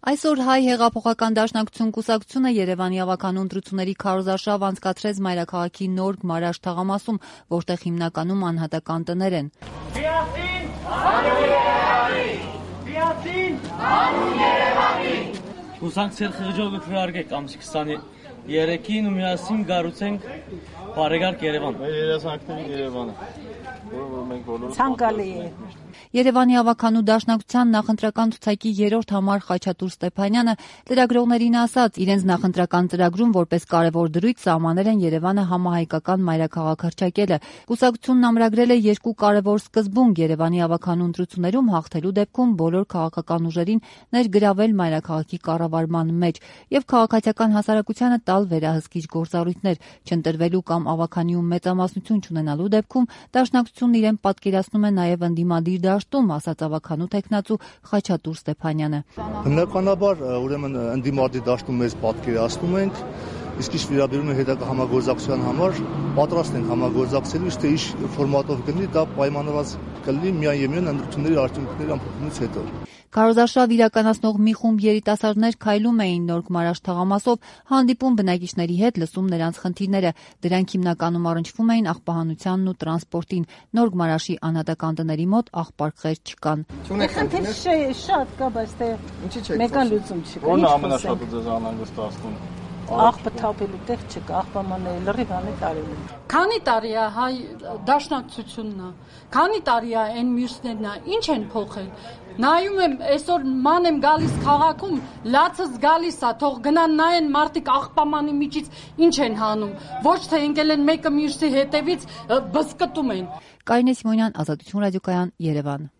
Այսօր հայ հեղափոխական դաշնակցություն կուսակցությունը Երևանի ավականու ընտրությունների քարոզարշավ անցկացրեց մայրաքաղաքի նոր Գմարաշ թաղամասում, որտեղ հիմնականում անհատական տներ են։ Միասին հանուն Երևանի! Միասին հանուն Երևանի! Կուսակցել խղճով քրարկեք ամսի 23-ին ու միասին գառուցենք բարեկարգ Երևան։ Մեր երազանքների Երևանը։ Ցանկալի է։ Երևանի ավականու դաշնակցության նախընտրական ցուցակի 3-րդ համար Խաչատուր Ստեփանյանը լրագրողներին ասաց, իրենց նախընտրական ծրագրում որպես կարևոր դրույթ սահմանել են Երևանը համահայկական մայրաքաղաք հռչակելը։ Կուսակցությունն ամրագրել է 2 կարևոր սկզբունք Երևանի ավականու ընտրություններում հաղթելու դեպքում բոլոր քաղաքական ուժերին ներգրավել մայրաքաղաքի կառավարման մեջ եւ քաղաքացիական հասարակությանը տալ վերահսկիչ գործառույթներ, չընտրվելու կամ ավականիում մեծամասնություն չունենալու դեպքում դաշնակցությունն իրեն պատկերացնում է նաեւ ընդդիմադիր դաշտում, ասաց ավականու տեխնացու Խաչատուր Ստեփանյանը։ Բնականաբար, ուրեմն ընդդիմադիր դաշտում մեզ պատկերացնում ենք, իսկ ինչ վերաբերում է հետագա համագործակցության համար, պատրաստ ենք համագործակցելու, իսկ թե ինչ ֆորմատով կլինի, դա պայմանավորված կլինի միայն եւ միայն ընտրությունների արդյունքների ամփոփումից հետո։ Քարոզարշավ իրականացնող մի խումբ երիտասարդներ քայլում էին նոր Գմարաշ թաղամասով, հանդիպում բնակիչների հետ, լսում նրանց խնդիրները։ Դրանք հիմնականում առնչվում էին աղբահանությանն ու տրանսպորտին։ Նոր Գմարաշի անհատական տների մոտ աղբարկղեր չկան։ Խնդիր շատ կա, բայց թե մեկան լուծում չկա։ Ո՞րն է ամենաշատը ձեզ անհանգստացնում։ Աղբը թափելու տեղ չկա, աղբամանը լրիվ անի տարել։ Քանի տարի է հայ դաշնակցությունն է, քանի տարի է այն մյուսներն է, ինչ են փոխել։ Նայում եմ, այսօր ման եմ գալիս քաղաքում, լացս գալիս է, թող գնան նայեն մարդիկ աղբամանի միջից ինչ են հանում, ոչ թե ընկել են մեկը մյուսի հետևից բզկտում են։ Կարինե Սիմոնյան, Ազատություն ռադիոկայան, Երևան։